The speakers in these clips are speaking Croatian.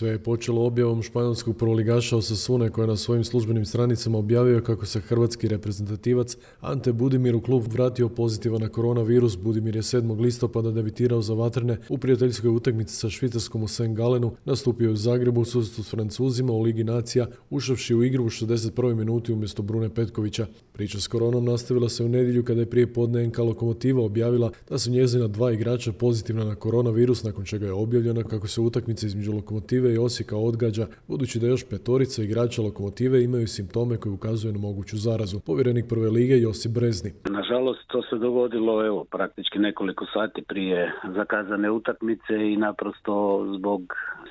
Sve je počelo objavom španjolskog prvoligaša Osasune koji je na svojim službenim stranicama objavio kako se hrvatski reprezentativac Ante Budimir u klub vratio pozitivan na koronavirus. Budimir je 7. listopada debitirao za vatrene u prijateljskoj utakmici sa Švicarskom u St. Galenu, nastupio je u Zagrebu u susretu s Francuzima u Ligi nacija, ušavši u igru u 61. minuti umjesto Brune Petkovića. Priča s koronom nastavila se u nedjelju kada je prije podne NK Lokomotiva objavila da su njezina 2 igrača pozitivna na koronavirus, nakon čega je objavljeno kako se utakmica između Lokomotive i Osijeka odgađa, budući da još 5 igrača Lokomotive imaju simptome koji ukazuju na moguću zarazu. Povjerenik prve lige Josip Brezni. Nažalost, to se dogodilo praktički nekoliko sati prije zakazane utakmice i naprosto zbog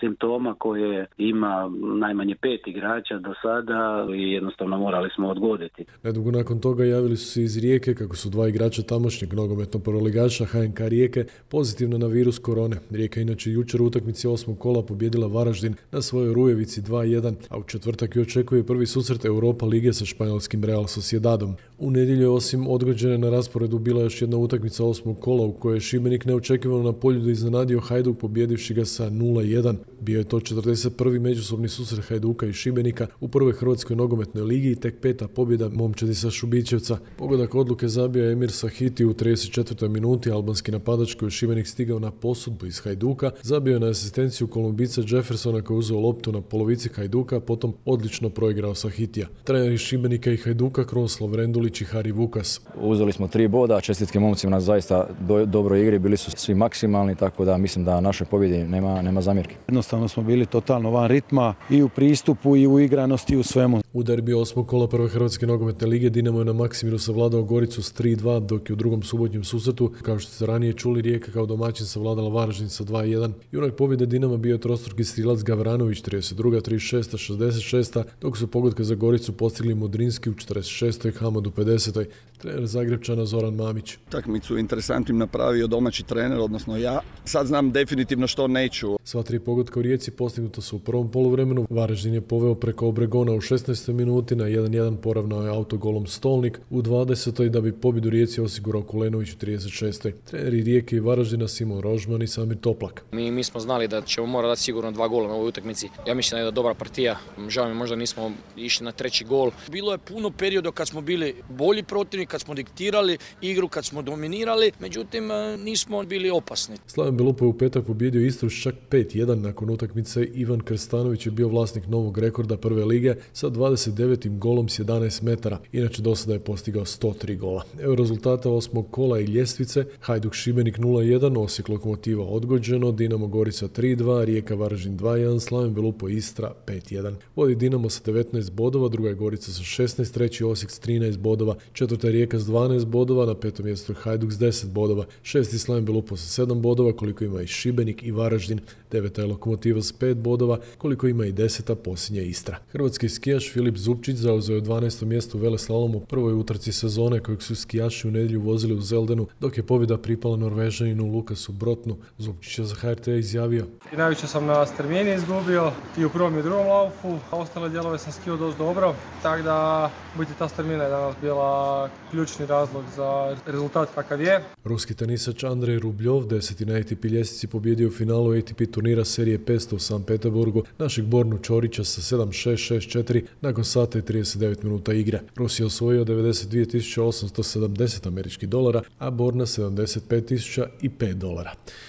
simptoma koje ima najmanje 5 igrača do sada i jednostavno morali smo odgoditi. Nedugo nakon toga javili su se iz Rijeke kako su 2 igrača tamošnjeg nogometnog prvoligaša HNK Rijeke pozitivno na virus korone. Rijeka inače jučer u utakmici 8. kola pobijedila Varaždin na svojoj Rujevici 2:1, a u četvrtak ju očekuje prvi susret Europa lige sa španjolskim Real Sociedadom. U nedjelju je osim odgođene na rasporedu bila još jedna utakmica 8. kola u kojoj je Šibenik neočekivano na Poljudu iznenadio Hajduk pobjedivši ga sa 0:1. Bio je to 41. međusobni susret Hajduka i Šibenika u prvoj hrvatskoj nogometnoj ligi i tek 5. pobjeda momčadi sa Šubićevca. Pogodak odluke zabio je Emir Sahiti u 34. minuti, albanski napadač koji je Šibenik stigao na posudbu iz Hajduka, zabio je na asistenciju Kolumbica Jeffersona koji je uzeo loptu na polovici Hajduka, a potom odlično proigrao Sahitija. Treneri Šibenika i Hajduka Krunoslav Rendulić i Hari Vukas. Uzeli smo 3 boda, čestitke momcima na zaista dobroj igri, bili su svi maksimalni, tako da mislim da naše pobjede nema zamjerke. Jednostavno smo bili totalno van ritma i u pristupu i u igranosti i u svemu. U derbiju 8. kola prve hrvatske nogometne lige Dinamo je na Maksimiru savladao Goricu s 3:2, dok je u drugom subotnjem susretu, kao što ste ranije čuli, Rijeka kao domaćin savladala Varaždin sa 2:1. Junak pobjede Dinama bio je trostruki strilac Gavranović 32., 36., 66., dok su pogodke za Goricu postigli Modrinski u 46., Hamad u 50. Trener Zagrebčana Zoran Mamić. Utakmicu interesantnim napravio domaći trener, odnosno ja. Sad znam definitivno što neću. Sva 3 pogotka u Rijeci postignuta su u prvom poluvremenu. Varaždin je poveo preko Obregona u 16. minuti, na 1:1 poravnao je autogolom Stolnik u 20. da bi pobjedu Rijeci osigurao Kulenović u 36. Treneri Rijeke i Varaždina Simon Rožman i Samir Toplak. Mi smo znali da ćemo morati dati sigurno 2 gola na ovoj utakmici. Ja mislim da je jedna dobra partija. Žao mi možda nismo išli na 3. gol. Bilo je puno perioda kad smo bili bolji protivnik, kad smo diktirali igru, kad smo dominirali, međutim nismo bili opasni. Slaven Belupo je u petak pobjedio Istru s čak 5:1. Nakon utakmice Ivan Krstanović je bio vlasnik novog rekorda prve lige sa 29. golom s 11 metara. Inače do sada je postigao 103 gola. Evo rezultata 8. kola i ljestvice: Hajduk Šibenik 0:1, Osijek Lokomotiva odgođeno, Dinamo Gorica 3:2, Rijeka Varaždin 2:1, Slaven Belupo Istra 5:1. Vodi Dinamo sa 19 bodova, druga je Gorica sa 16, treći Osijek s 13 bodova, četvrta je Rijeka s 12 bodova, na 5. mjestu je Hajduk s 10 bodova, 6. Slaven Belupo sa 7 bodova, koliko ima i Šibenik i Varaždin, 9. je Lokomotiva s 5 bodova, koliko ima i 10. posljednja Istra. Hrvatski skijaš Filip Zupčić zauzeo je 12. mjesto u veleslalomu u prvoj utrci sezone kojeg su skijaši u nedjelju vozili u Zeldenu, dok je pobjeda pripala Norvežaninu Lukasu Brotnu. Zupčić je za HRT izjavio: I najviše sam na strmini izgubio i u prvom i drugom laufu, a ostale dijelove sam skijao dosta dobro, tako da biti ta strmina je danas bila ključni razlog za rezultat kakav je. Ruski tenisač Andrej Rubljov 10. na ATP ljestvici pobjedio u finalu ATP turnira serije 500 u San Petersburgu našeg Bornu Čorića sa 7:6, 6:4 nakon sata i 39 minuta igre. Rus je osvojio $92.870 američkih dolara, a Borna $75.005.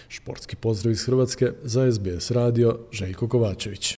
Športski pozdrav iz Hrvatske za SBS radio, Željko Kovačević.